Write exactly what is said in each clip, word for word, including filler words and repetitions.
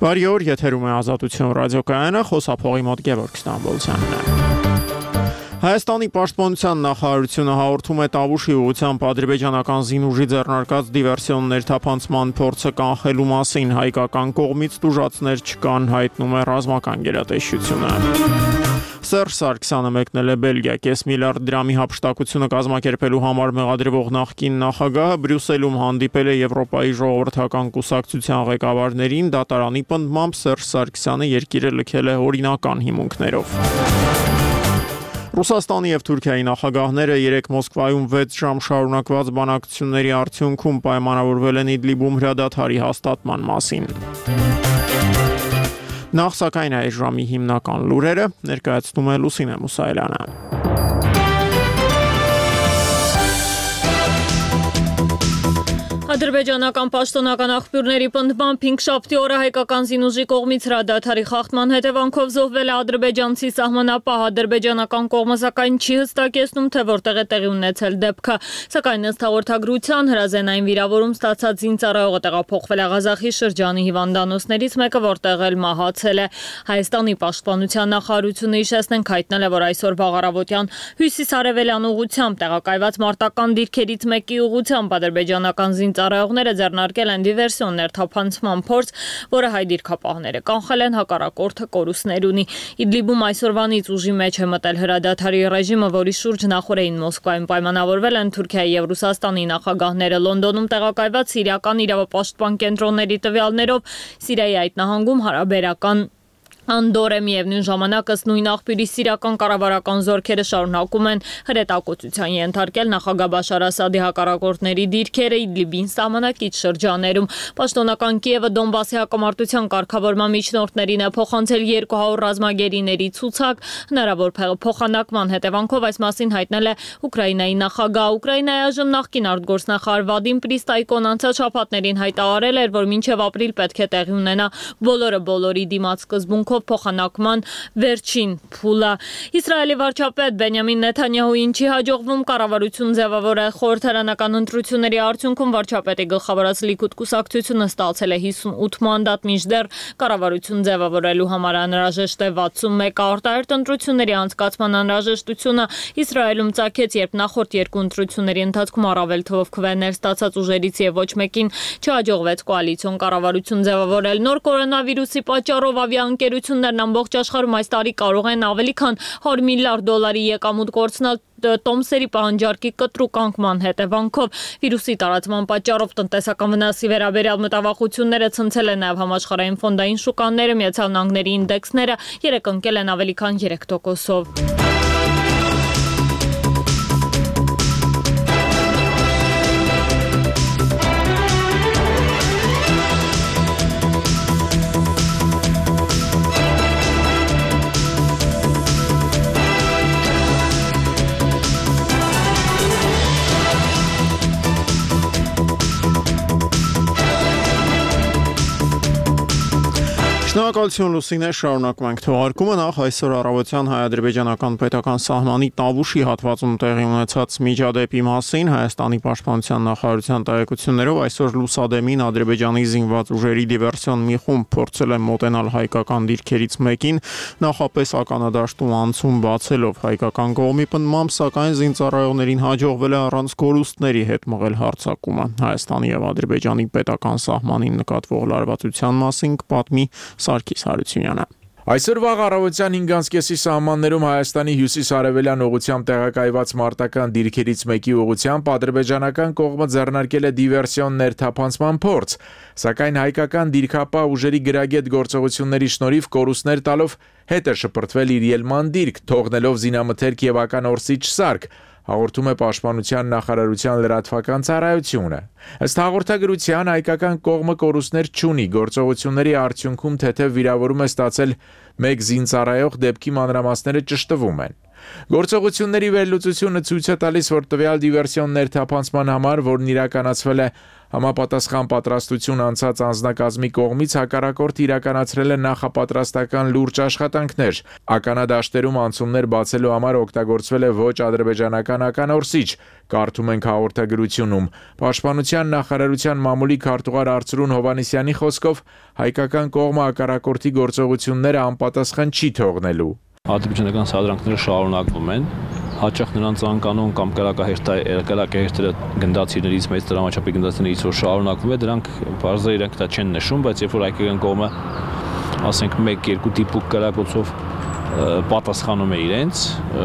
Բարի օր, եթերում է Ազատություն ռադիոկայանը, խոսափողի մոտ Գևորգ Ստամբոլցյանն է։ Հայաստանի պաշտպանության նախարարությունը հաղորդում է Տավուշի ուղղությամբ ադրբեջանական զինուժի ձեռնարկած դիվերսիոն ներթափանցման փորձը կանխելու մասին, հայկական կողմից տուժածներ չկան, հայտնում է ռազմական գերատեսչությունը։ Սերժ Սարգսյանը մեկնել է Բելգիա, կես միլիարդ դրամի հափշտակությունը կազմակերպելու համար մեղադրվող նախկին նախագահը Բրյուսելում հանդիպել է Եվրոպայի ժողովրդական կուսակցության ղեկավարներին, դատարանի պնդմամբ Սերժ Սարգսյանը երկիրը լքել է օրինական հիմունքներով։ Ռուսաստանի և Թուրքիայի նախագահները երեկ Մոսկվայում վեց ժամ շարունակված բանակցությունների արդյունքում պայմանավորվել են Իդլիբում հրադադարի հաստատման մասին։ Նախ սակայն այս ժամի հիմնական լուրերը ներկայացնում է Լուսինե Մուսայելյանը։ Ադրբեջանական պաշտոնական աղբյուրների պնդմամբ հինգշաբթի օրը հայկական զինուժի կողմից հրադադարի խախտման հետևանքով զոհվել է ադրբեջանցի սահմանապահ, ադրբեջանական կողմը սակայն չի հստակեցնում, թե որտեղ է տեղի ունեցել դեպքը, սակայն ըստ հաղորդագրության հրազենային վիրավորում ստացած զինծառայողը տեղափոխվել է Ղազախի շրջանի հիվանդանոցներից մեկը, որտեղ էլ մահացել է։ Հայաստանի պաշտպանության նախարարությունը հիշեցնենք հայտնել է, որ այսօր վաղառավոտյան հյուսիս-արևելյան ուղղությամբ տեղակայված մարտական դիրքերից մեկի ուղղությամբ ադրբեջանական զինծառայողները Ծառայողները ձեռնարկել են դիվերսիոն ներթափանցման փորձ, որը հայ դիրքապահները կանխել են, հակառակորդը կորուստներ ունի։ Իդլիբում այսօրվանից ուժի մեջ է մտել հրադադարի ռեժիմը, որի շուրջ նախորդին Մոսկվայում պայմանավորվել են Թուրքիայի և Ռուսաստանի նախագահները։ Լոնդոնում տեղակայված սիրիական իրավապաշտպան կենտրոնների տվյալներով Սիրիայի այդ նահանգում հարաբերական Անդոր է միևնույն ժամանակ ըստ նույն աղբյուրի սիրիական կառավարական զորքերը շարունակում են հրետակոծության ենթարկել նախագահ Բաշար Ասադի հակառակորդների դիրքերը Իդլիբին սահմանակից շրջաներում։ Պաշտոնական Կիևը Դոնբասի հակամարտության կարգավորման միջնորդներին է փոխանցել երկու հարյուր ռազմագերիների ցուցակ, հնարավոր փոխանակման հետևանքով այս մասին հայտնել է Ուկրաինայի նախագահ։ Ուկրաինայի այժմ նախկին արտգործնախարար Վադիմ Պրիստայկոն անցած շաբաթներին հայտարարել էր, որ մինչև ապրիլ պետք է տեղի ունենա բոլորը բոլորի դիմաց սկզբունքով փոխանակման վերջին փուլը։ Իսրայելի վարչապետ Բենյամին Նեթանյահուին չի հաջողվում կառավարություն ձևավորել խորհրդարանական ընտրությունների արդյունքում վարչապետի գլխավորած Լիկուդ կուսակցությունը ստացել է հիսունութ մանդատ, մինչդեռ կառավարություն ձևավորելու համար անհրաժեշտ է վաթսունմեկ։ Արտահերթ ընտրությունների անցկացման անհրաժեշտությունը Իսրայելում ծագեց, երբ նախորդ երկու ընտրությունների ընթացքում առավել թվով քվեներ ստացած ուժերից եւ ոչ մեկին չհաջողվեց կոալիցիոն կառավարություն ձևավորել։ Նոր կորոնավիրուսի պատճառով ավիաընկերությունները ամբողջ աշխարհում այս տարի կարող են ավելի քան հարյուր միլիարդ դոլարի եկամուտ կորցնել տոմսերի պահանջարկի կտրուկ անկման հետևանքով։ Վիրուսի տարածման պատճառով տնտեսական վնասի վերաբերյալ մտավախությունները ցնցել են նաև համաշխարհային ֆոնդային շուկաները, Միացյալ Նահանգների ինդեքսները երեկ ընկել են ավելի քան երեք տոկոսով։ Շնորհակալություն Լուսինե, շարունակում ենք թողարկումը։ Նախ այսօր առավոտյան հայ-ադրբեջանական պետական սահմանի Տավուշի հատվածում տեղի ունեցած միջադեպի մասին Հայաստանի պաշտպանության նախարարության տեղեկություններով այսօր լուսադեմին Ադրբեջանի զինված ուժերի դիվերսիոն մի խումբ փորձել է մոտենալ հայկական դիրքերից մեկին, նախապես ականադաշտում անցում բացելով։ Հայկական կողմի պնդմամբ, սակայն զինծառայողներին հաջողվել է առանց կորուստների հետ մղել հարձակումը։ Հայաստանի և Ադրբեջանի պետական սահմանին նկատվող լարվածության մասին կպատմի Սարգիս Հարությունյանը։ Այսօր վաղ առավոտյան հինգ կեսի սահմաններում Հայաստանի հյուսիս-արևելյան ուղղությամբ տեղակայված մարտական դիրքերից մեկի ուղղությամբ ադրբեջանական կողմը ձեռնարկել է դիվերսիոն ներթափանցման փորձ, սակայն հայկական դիրքապահ ուժերի գրագետ գործողությունների շնորհիվ կորուստներ տալով հետ է շպրտվել իր ելման դիրք, թողնելով զինամթերք և ականորսիչ սարք, հաղորդում է Պաշտպանության նախարարության լրատվական ծառայությունը։ Ըստ հաղորդագրության հայկական կողմը կորուստներ չունի, գործողությունների արդյունքում թեթև վիրավորում է ստացել մեկ զինծառայող, դեպքի մանրամասները ճշտվում են։ Գործողությունների վերլուծությունը ցույց է տալիս, որ տվյալ դիվերսիոն ներթափանցման համար, որն իրականացվել է համապատասխան պատրաստություն անցած անձնակազմի կողմից, հակառակորդը իրականացրել է նախապատրաստական լուրջ աշխատանքներ։ Ականադաշտերում անցումներ բացելու համար օգտագործվել է ոչ ադրբեջանական ականորսիչ, կարդում ենք հաղորդագրությունում։ Պաշտպանության նախարարության մամուլի քարտուղար Արծրուն Հովհաննիսյանի խոսքով հայկական կողմը ականակորթի գործողությունները անպատասխան չի թողնելու։ Ադրբեջանական սադրանքները շարունակվում են, հաճախ նրանց անկանոն կամ կրակահերթերը գնդացիներից մեծ դրամաչափի գնդացիներից որ շարունակվում է, դրանք բարձր իրենք դա չեն նշում, բայց երբ որ հայկական կողմը ասենք մեկ-երկու դիպուկ կրակոցով պատասխանում է իրենց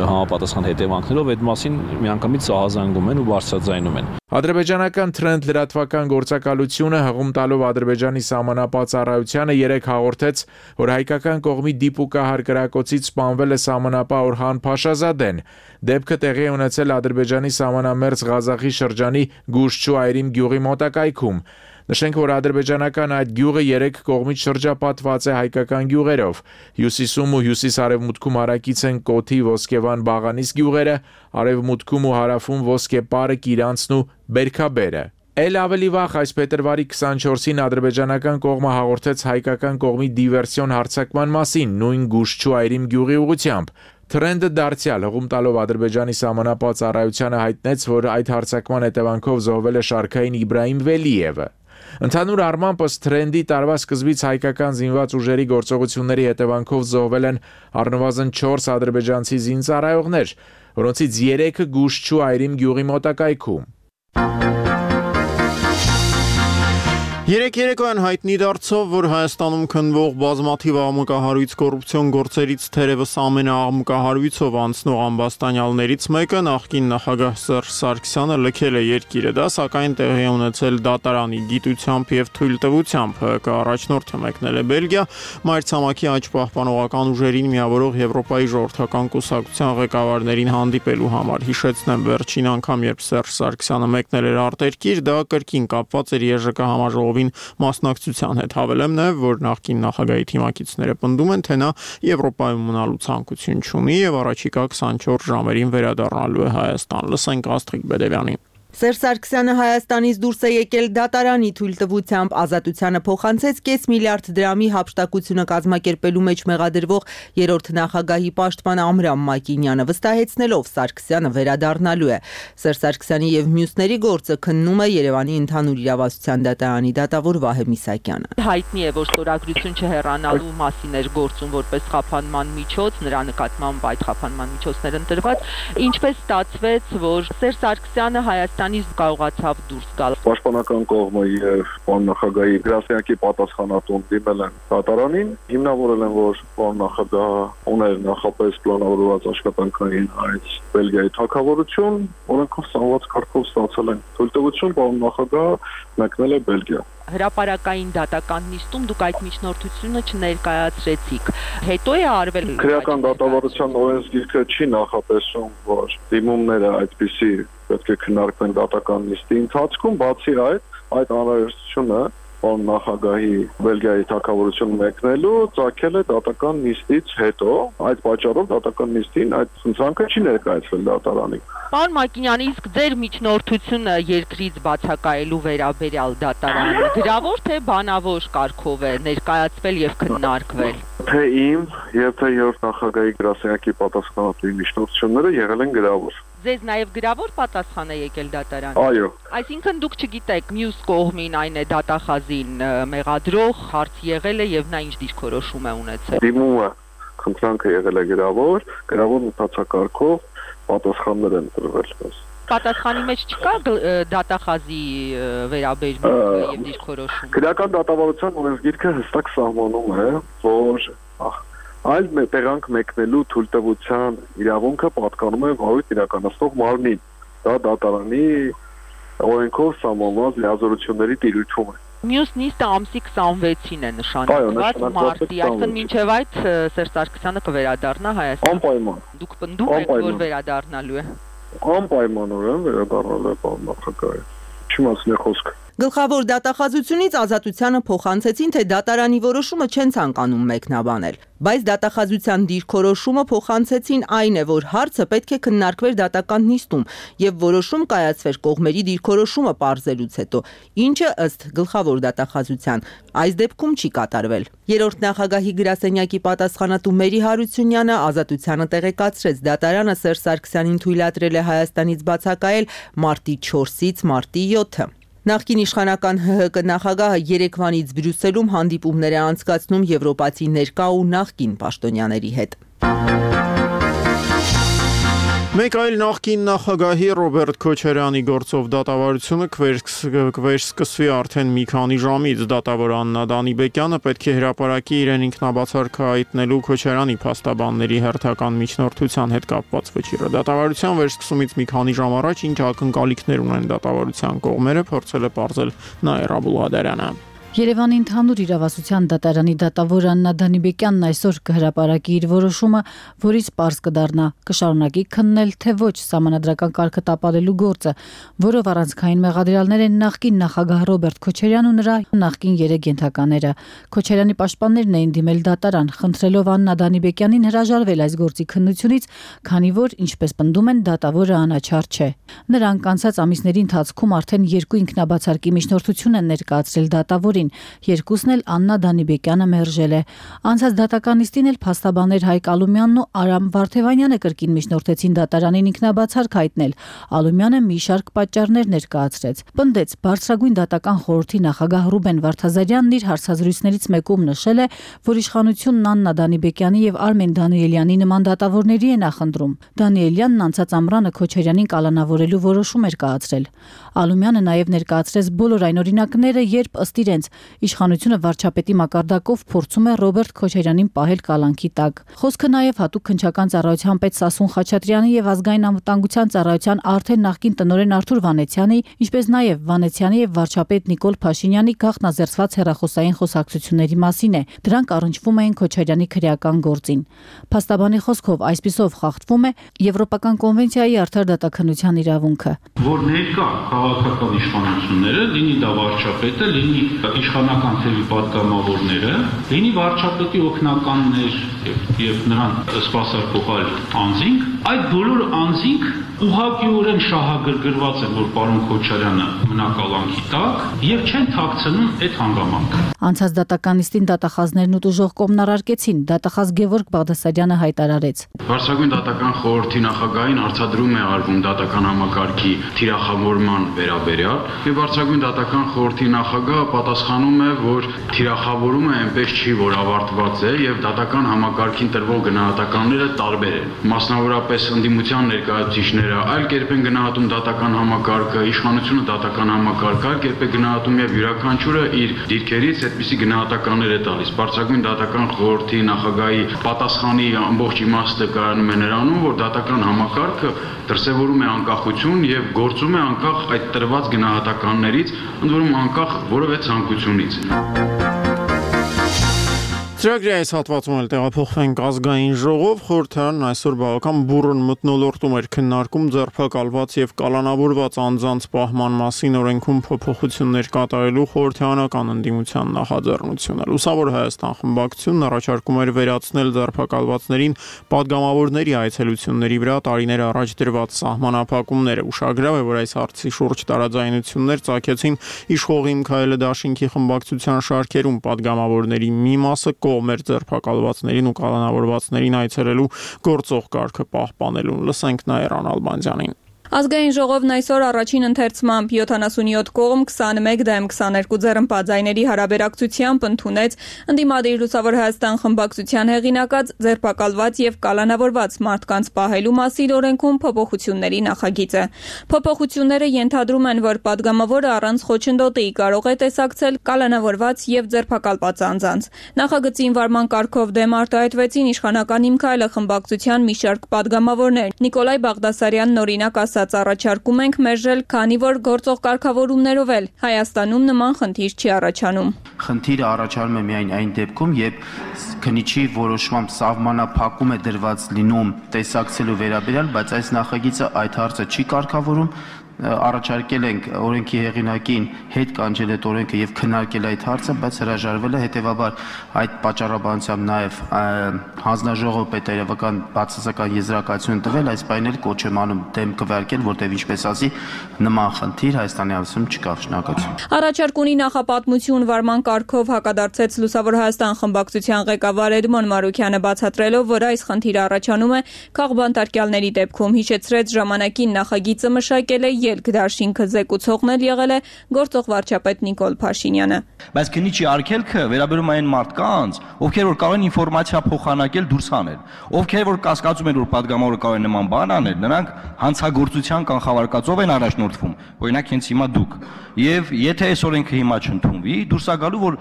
համապատասխան հետևանքներով, այդ մասին միանգամից սահազանգում են ու բարձրաձայնում են։ Ադրբեջանական Trend լրատվական գործակալությունը հղում տալով Ադրբեջանի սահմանապահ ծառայությանը երեկ հաղորդեց, որ հայկական կողմի դիպուկահար կրակոցից սպանվել է սահմանապահ Օրհան Փաշազադեն։ Դեպքը տեղի է ունեցել Ադրբեջանի սահմանամերձ Ղազախի շրջանի Գուշչու Այրիմ գյուղի մոտակայքում։ Նշենք, որ ադրբեջանական այդ գյուղը երեք կողմից շրջապատված է հայկական գյուղերով։ Հյուսիսում ու հյուսիս-արևմուտքում հարակից են Կոթի, Ոսկեվան, Բաղանիս գյուղերը, արևմուտքում ու հարավում Ոսկեպարը, Կիրանցն ու Բերքաբերը։ Էլ ավելի վաղ այս փետրվարի քսանչորսին ադրբեջանական կողմը հաղորդեց հայկական կողմի դիվերսիոն հարձակման մասին նույն Գուշչու Այրիմ գյուղի ուղղությամբ։ Trend-ը դարձյալ հղում տալով Ադրբեջանի սահմանապահ ծառայությանը հայտնեց, որ այդ հարձակման հետևանքով զոհվել է շարքային Իբրահիմ Վելիևը։ Ընդհանուր առմամբ ըստ Trend-ի տարվա սկզբից հայկական զինված ուժերի գործողությունների հետևանքով զոհվել են առնվազն չորս ադրբեջանցի զինծառայողներ, որոնցից երեքը Գուշչու Այրիմ գյուղի մոտակայքում։ Երեք երեկոյան հայտնի դարձավ, որ Հայաստանում քննվող բազմաթիվ աղմուկահարույց կոռուպցիոն գործերից թերևս ամենաաղմուկահարույցով անցնող ամբաստանյալներից մեկը նախկին նախագահ Սերժ Սարգսյանը լքել է երկիրը, դա սակայն տեղի է ունեցել դատարանի գիտությամբ եւ թույլտվությամբ։ ՀԿ առաջնորդը մեկնել է Բելգիա, մայրցամաքի աճ պահպանողական ուժերին միավորող Եվրոպայի ժողովրդական կուսակցության ղեկավարներին հանդիպելու համար։ Հիշեցնեմ, վերջին անգամ, երբ Սերժ Սարգսյանը մեկնել էր արտերկիր, դա կրկին կապված էր ԵԺԿ համաժողովի մասնակցության հետ։ Հավելեմ նաև, որ նախկին նախագահի թիմակիցները պնդում են, թե նա Եվրոպայում մնալու ցանկություն չունի եւ առաջիկա քսանչորս ժամերին վերադառնալու է Հայաստան։ Լսենք Աստղիկ Բեդևյանին։ Սերժ Սարգսյանը Հայաստանից դուրս է եկել դատարանի թույլտվությամբ, ազատությանը փոխանցեց կես միլիարդ դրամի հափշտակությունը կազմակերպելու մեջ մեղադրվող երրորդ նախագահի պաշտպան Ամրամ Մակինյանը, վստահեցնելով Սարգսյանը վերադառնալու է։ Սերժ Սարգսյանի եւ մյուսների գործը քննում է Երևանի ընդհանուր իրավասության դատարանի դատավոր Վահե Միսակյանը։ Հայտնի է, որ ստորագրություն չհեռանալու մասին էր գործում որպես խափանման միջոց, նրա նկատմամբ այդ խափանման միջոցներ ընտրված, ինչպես ստացվեց, որ Սերժ Սարգսյանը Հայաստանից կարողացավ դուրս գալ։ Պաշտպանական կողմը եւ պարոն նախագահի գրասենյակի պատասխանատուն դիմել են դատարանին, հիմնավորել են, որ պարոն նախագահը ուներ նախապես պլանավորված աշխատանքային այս Բելգիայի թագավորություն, օրենքով սահմանված կարգով ստացել են թույլտվություն, պարոն նախագահը մեկնել է Բելգիա։ Հրապարակային դատական նիստում դուք այդ միջնորդությունը չներկայացրեցիք։ Հետո է արվել քրեական դատավարության օրենսգիրքը չի նախատեսում, որ դիմումները այդպիսի պետք է քննարկվեն դատական նիստի ընթացքում, բացի այդ, այդ անհրաժեշտությունը պարոն նախագահի Բելգիայի թագավորություն մեկնելու ծագել է դատական նիստից հետո, այդ պատճառով դատական նիստին այդ ցանցը չի ներկայացվել դատարանին։ Պարոն Մակինյան, իսկ ձեր միջնորդությունը երկրից բացակայելու վերաբերյալ դատարան գրավոր թե բանավոր կարգով է ներկայացվել եւ քննարկվել։ Թե իմ եւ թե երրորդ նախագահի գրասենյակի պատասխանատուի միջնորդությունները եղել են գրավոր։ Ձեզ նաև գրավոր պատասխան է եկել դատարան։ Այո։ Այսինքն դուք չգիտեք մյուս կողմին, այն է դատախազին մեղադրող հարց եղել է եւ նա ինչ դիրքորոշում է ունեցել։ Դիմումը խնդրանքը եղել է գրավոր, գրավոր մտածակարգով պատասխաններ են տրվել։ Պատասխանի մեջ չկա դատախազի վերաբերմունքը եւ դիրքորոշումը։ Քրեական դատավարության օրենսգիրքը հստակ սահմանում է, որ այլ տեղանք մեկնելու թույլտվության իրավունքը պատկանում է վարույթ իրականացնող մարմնին։ Դա դատարանի օրենքով սահմանված լիազորությունների տիրույթում է։ Մյուս նիստը ամսի քսանվեցին է նշանակված մարտի, այսինքն մինչև այդ Սերժ Սարգսյանը կվերադառնա Հայաստան։ Անպայման։ Դուք պնդում եք, որ վերադառնալու է։ Անպայմանորեն վերադառնալու է պարոն նախագահը։ Չիմացնի խոսքը։ Գլխավոր դատախազությունից Ազատությանը փոխանցեցին, թե դատարանի որոշումը չեն ցանկանում մեկնաբանել, բայց դատախազության դիրքորոշումը փոխանցեցին այն է, որ հարցը պետք է քննարկվեր դատական նիստում եւ որոշում կայացվեր կողմերի դիրքորոշումը պարզելուց հետո, ինչը ըստ գլխավոր դատախազության այս դեպքում չի կատարվել։ Երրորդ նախագահի գրասենյակի պատասխանատու Մերի Հարությունյանը Ազատությանը տեղեկացրեց, դատարանը Սերժ Սարգսյանին թույլատրել է Հայաստանից բացակայել մարտի չորսից մարտի յոթը։ Նախկին իշխանական ՀՀԿ նախագահը Երևանից Բրյուսելում հանդիպումներ է անցկացնում եվրոպացի ներկա ու նախկին պաշտոնյաների հետ։ Մեկ այլ նախկին նախագահի Ռոբերտ Քոչարյանի գործով դատավարությունը կվերսկսվի արդեն մի քանի ժամից։ Դատավոր Աննա Դանիբեկյանը պետք է հրապարակի իրեն ինքնաբացարք հայտնելու Քոչարյանի փաստաբանների հերթական միջնորդության հետ կապված վճիռը։ Դատավարության վերսկսումից մի քանի ժամ առաջ ինչ ակնկալիքներ ունեն դատավարության կողմերը, փորձել է պարզել Նաիրա Բուլադարյանը։ Երևանի ընդհանուր իրավասության դատարանի դատավոր Աննա Դանիբեկյանն այսօր կհրապարակի իր որոշումը, որից պարզ կդառնա կշարունակի քննել, թե ոչ սահմանադրական կարգը տապալելու գործը, որով առանցքային մեղադրյալներ են նախկին նախագահ Ռոբերտ Քոչարյանն ու նրա նախկին երեք ենթակաները։ Քոչարյանի պաշտպաններն էին դիմել դատարան, խնդրելով Աննա Դանիբեկյանին հրաժարվել այս գործի քննությունից, քանի որ, ինչպես պնդում են, դատավորը անաչառ չէ։ Նրանք անցած ամիսների ընթացքում արդեն երկու ինքնաբացարկի միջնորդություն են ներկայացրել դատավորին, երկուսն էլ Աննա Դանիբեկյանը մերժել է։ Անցած դատական նիստին էլ փաստաբաններ Հայկ Ալումյանն ու Արամ Վարդևանյանը կրկին միջնորդեցին դատարանին ինքնաբացարկ հայտնել։ Ալումյանը մի շարք պատճառներ ներկայացրեց։ Պնդեց, բարձրագույն դատական խորհրդի նախագահ Ռուբեն Վարդազարյանն իր հարցազրույցներից մեկում նշել է, որ իշխանությունն Աննա Դանիբեկյանի եւ Արմեն Դանիելյանի նման դատավորների է նախընտրում։ Դանիելյանն անցած ամռանը Քոչարյանին կալանավորելու որոշում էր կայացրել։ Ալումյանը նաև ներկայացրեց բոլոր այն օրինակները, երբ ըստ իրենց իշխանությունը վարչապետի մակարդակով փորձում է Ռոբերտ Քոչարյանին պահել կալանքի տակ։ Խոսքը նաև հատուկ քննչական ծառայության պետ Սասուն Խաչատրյանի եւ ազգային անվտանգության ծառայության արդեն նախկին տնօրեն Արթուր Վանեցյանի, ինչպես նաև Վանեցյանի եւ վարչապետ Նիկոլ Փաշինյանի գաղտնազերծված հեռախոսային խոսակցությունների մասին է։ Դրանք առնչվում էին Քոչարյանի քրեական գործին։ Փաստաբանի խոսքով այսպիսով խախտվում է Եվրոպական կոնվենցիայի արդար դատաքննության իրավունքը, որ ներկա քաղաքական իշխանությունները, լինի դա վարչապետը, լինի իշխանական թևի պատգամավորները, լինի վարչապետի օգնականներ եւ եւ նրան սպասարկող անձինք, այդ բոլոր անձինք ուղղակիորեն շահագրգռված են, որ պարոն Քոչարյանը մնա կալանքի տակ եւ չեն թաքցնում այդ հանգամանքը։ Անցած դատական նիստին դատախազներն ու տուժող կողմն առարկեցին, դատախազ Գևորգ Բաղդասարյանը հայտարարեց. Վարչագույն դատական խորհրդի նախագահին արձադրում է արվում դատական համակարգի թիրախավորման վերաբերյալ եւ վարչագույն դատական խորհրդի նախագահը պատասխանում է, որ թիրախավորումը այնպես չի, որ ավարտված է եւ դատական համակարգին տրվող գնահատականները տարբեր են։ Մասնավորապես ընդդիմության ներկայացուցիչները այլ կերպ են գնահատում դատական համակարգը, իշխանությունը դատական համակարգը այլ կերպ է գնահատում եւ յուրաքանչյուրը իր դիրքերից այդպիսի գնահատականներ է տալիս։ Վարչագույն դատական խորհրդի նախագահի պատասխանի ամբողջ իմաստը կայանում է նրանում, որ դատական համակարգը դրսևորում է անկախություն եւ գործում է անկախ այդ տրված գնահատականներից, ընդ որում անկախ որևէ ցանկությունից։ Ծրագրի այս հատվածում էլ տեղափոխվենք ազգային ժողով, խորհրդարանն այսօր բավական բուռն մթնոլորտում էր քննարկում ձերբակալված եւ կալանավորված անձանց պահման մասին օրենքում փոփոխություններ կատարելու խորհրդարանական ընդդիմության նախաձեռնությունը։ Լուսավոր Հայաստան խմբակցությունն առաջարկում էր վերացնել ձերբակալվածներին падգամավորների այցելությունների վրա տարիներ առաջ դրված սահմանափակումները։ Ուշագրավ է, որ այս հարցի շուրջ տարաձայնություններ ծագեցին իշխող Իմ Քայլը դաշինքի խմբակցության շարքերում падգամավորների մի մասը կողմ էր ձերբակալվածներին ու կալանավորվածներին այցելելու գործող կարգը պահպանելուն։ Լսենք Նաիրա Նալբանդյանին։ Ազգային ժողովն այսօր առաջին ընթերցմամբ յոթանասունյոթ կողմ քսաներեք դեմ քսաներկու ձեռնպատձայների հարաբերակցությամբ ընդունեց ընդդիմադիր Լուսավոր Հայաստան խմբակցության հեղինակած ձերբակալված եւ կալանավորված մարդկանց պահելու մասին օրենքում փոփոխությունների նախագիծը։ Փոփոխությունները ենթադրում են, որ падգամավորը առանց խոչընդոտի կարող է տեսակցել կալանավորված եւ ձերբակալված անձանց։ Նախագծին վարման կարգով դեմ արտահայտվեցին իշխանական Իմ Քայլը խմբակցության մի շարք падգամավորներ։ Նիկոլայ Բաղդասարյանն օրինակ առաջարկում ենք մերժել, քանի որ գործող կարգավորումներով էլ Հայաստանում նման խնդիր չի առաջանում։ Խնդիրը առաջանում է միայն այն դեպքում, երբ քննիչի որոշմամբ սահմանափակում է դրված լինում տեսակցելու վերաբերյալ, բայց այս նախագիծը այդ հարցը չի կարգավորում, առաջարկել ենք օրենքի հեղինակին հետ կանչել այդ օրենքը եւ քննարկել այդ հարցը, բայց հրաժարվել է, հետեւաբար այդ պատճառաբանությամբ նաեւ հանձնաժողովը պետերևական բացասական եզրակացություն տվել, այս բանին էլ կոչ եմ անում դեմ քվեարկել, որտեղ ինչպես ասի նման խնդիր Հայաստանի Հանրապետությունում չկա, շնորհակալություն։ Առաջարկ ունի նախապատմություն վարման կարգով հակադարձեց Լուսավոր Հայաստան խմբակցության ղեկավար Էդմոն Մարուքյանը, բացատրելով, որ այս խնդիրը առաջանում է քաղբանտարկյալների դեպքում, հիշեցրեց ժամանակին նախագիծը մշակել է ելք դաշինքը զեկուցողն էլ եղել է գործող վարչապետ Նիկոլ Փաշինյանը։ Բայց քննիչի արգելքը վերաբերում այն մարդկանց, ովքեր որ կարող են ինֆորմացիա փոխանակել դուրս հանել, ովքեր որ կասկածում են, որ падգամավորը կարող է նման բան անել, նրանք հանցագործության կանխավարկածով են առաջնորդվում, օրինակ հենց հիմա դուք։ Եվ եթե այս օրենքը հիմա չընդունվի, դուրս է գալու, որ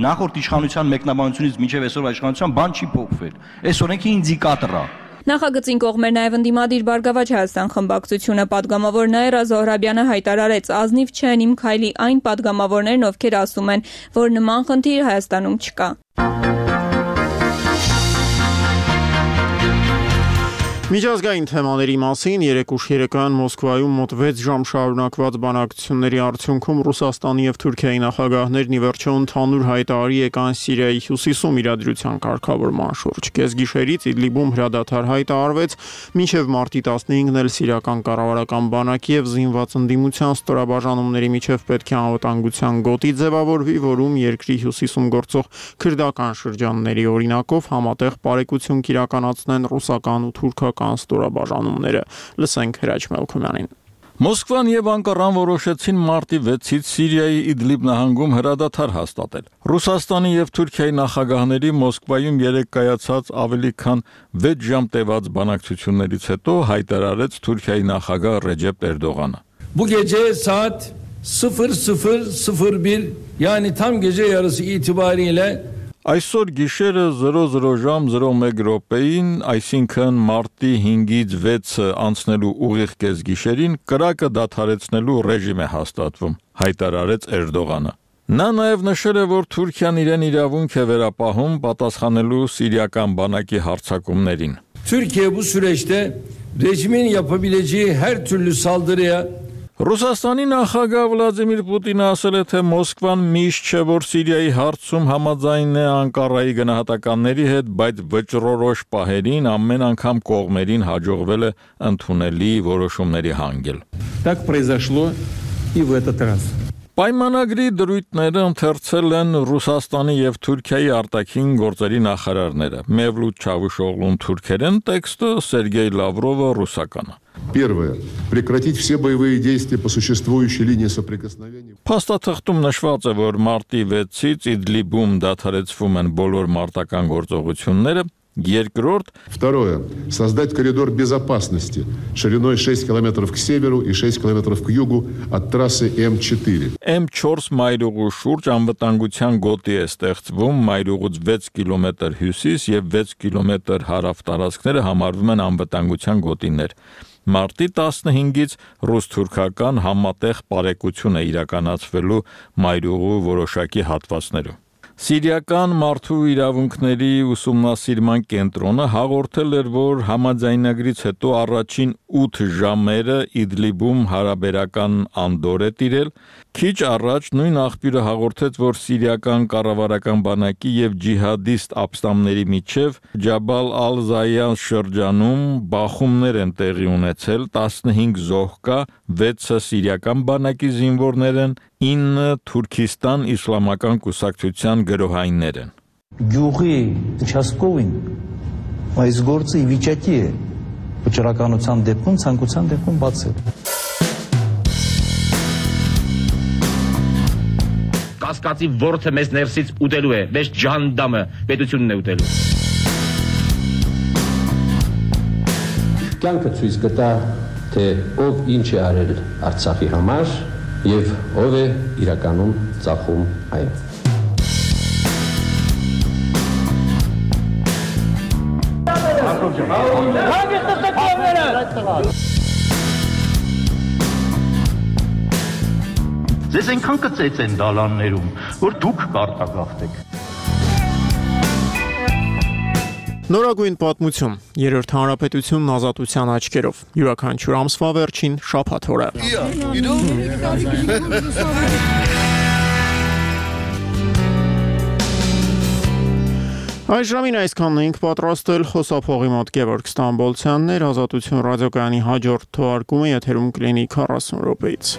նախորդ իշխանության մեկնաբանությունից մինչև այսօր իշխանության բան չի փոխվել։ Այս օրենքը ինդիկատոր է։ Նախագծին կողմեր նաև ընդդիմադիր Բարգավաճ Հայաստան խմբակցությունը, падգամավոր Նաիրա Զոհրաբյանը հայտարարեց, ազնիվ չեն իմ քայլի այն падգամավորներն, ովքեր ասում են, որ նման խնդիր Հայաստանում չկա։ Միջազգային թեմաների մասին երեկ ուշ երեկոյան Մոսկվայում մոտ վեց ժամ շարունակված բանակցությունների արդյունքում Ռուսաստանի եւ Թուրքիայի նախագահներն ի վերջո ընդհանուր հայտարարի եկան Սիրիայի հյուսիսում իրադրության կարգավորման շուրջ։ Կեսգիշերից Իդլիբում հրադադար հայտարարվեց, մինչև մարտի տասնհինգն էլ սիրիական կառավարական բանակի եւ զինված ընդդիմության ստորաբաժանումների միջև պետք է անվտանգության գոտի ձևավորվի, որում երկրի հյուսիսում գործող քրդական շրջանների օրինակով համատեղ բարեկություն կիրականացնեն ռուսական ու թուրքական ստորաբաժանումները։ Լսենք Հրաչ Մելքումյանին։ Մոսկվան եւ Անկարան որոշեցին մարտի վեցից Սիրիայի Իդլիբ նահանգում հրադադար հաստատել։ Ռուսաստանի եւ Թուրքիայի նախագահների Մոսկվայում երեկ կայացած ավելի քան վեց ժամ տևած բանակցություններից հետո հայտարարեց Թուրքիայի նախագահ Ռեջեփ Էրդողանը։ Bu gece saat sıfır sıfır sıfır bir yani tam gece yarısı itibariyle Այսօր գիշերը zero zero ժամ zero մեկ րոպեին, այսինքն մարտի հինգից վեցը անցնելու ուղիղ կեսգիշերին կրակը դադարեցնելու ռեժիմ է հաստատվում, հայտարարեց Էրդողանը։ Նա նաև նշել է, որ Թուրքիան իրեն իրավունք է վերապահում պատասխանելու սիրիական բանակի հարձակումներին։ Türkiye bu süreçte rejimin yapabileceği her türlü saldırıya Ռուսաստանի նախագահ Վլադիմիր Պուտինը ասել է, թե Մոսկվան միշտ չէ, որ Սիրիայի հարցում համաձայն է Անկարայի գնահատականների հետ, բայց վճռորոշ պահերին ամեն անգամ կողմերին հաջողվել է ընդունելի որոշումների հանգել։ Так произошло и в этот раз. Պայմանագրի դրույթները ընթերցել են Ռուսաստանի եւ Թուրքիայի արտաքին գործերի նախարարները։ Մևլութ Չավուշօղլուն թուրքերեն տեքստը, Սերգեյ Լավրովը ռուսականը։ Первое. Прекратить все боевые действия по существующей линии соприкосновения. Փաստաթղթում նշված է, որ մարտի վեցից Իդլիբում դադարեցվում են բոլոր մարտական գործողությունները, երկրորդ Второе. Создать коридор безопасности шириной шесть километров к северу и шесть километров к югу от трассы эм четыре. эм չորս մայրուղու շուրջ անվտանգության գոտի է ստեղծվում, մայրուղուց վեց կիլոմետր հյուսիս եւ վեց կիլոմետր հարավ տարածքները համարվում են անվտանգության գոտիներ։ Մարտի տասնհինգից ռուս-թուրքական համատեղ բարեկություն է իրականացվելու մայրուղու որոշակի հատվածներում։ Սիրիական մարդու իրավունքների ուսումնասիրման կենտրոնը հաղորդել էր, որ համաձայնագրից հետո առաջին ութ ժամերը Իդլիբում հարաբերական անդոր է տիրել։ Քիչ առաջ նույն աղբյուրը հաղորդեց, որ սիրիական կառավարական բանակի եւ ջիհադիստ ապստամբների միջև Ջաբալ ալ-Զայան շրջանում բախումներ են տեղի ունեցել, տասնհինգ զոհ կա, վեցը սիրիական բանակի զինվորներ են, ինը Թուրքիստան իսլամական կուսակցության գրոհայիններ են։ Գյուղի участковին այս գործը ի վիճակի է վճռականության դեպքում, ցանկության դեպքում բացել։ Կասկածի ворթը մեզ ներսից ուտելու է, մեզ ջանդամը պետությունն է ուտելու։ Կյանքը ցույց կտա, թե ով ինչ է արել Արցախի համար եւ ով է իրականում ծախում այն։ Ձեզ այնքան կծեց են դալաններում, որ դուք կարտագաղթեք։ Նորագույն պատմություն, երրորդ հանրապետությունն ազատության աչքերով, յուրաքանչյուր ամսվա վերջին շաբաթ օրը։ Այս ժամին այսքանն ենք պատրաստել խոսափողի մոտ Գևորգ Ստամբոլցյանն էր, Ազատություն ռադիոկայանի հաջորդ թողարկումը եթերում կլինի քառասուն րոպեից։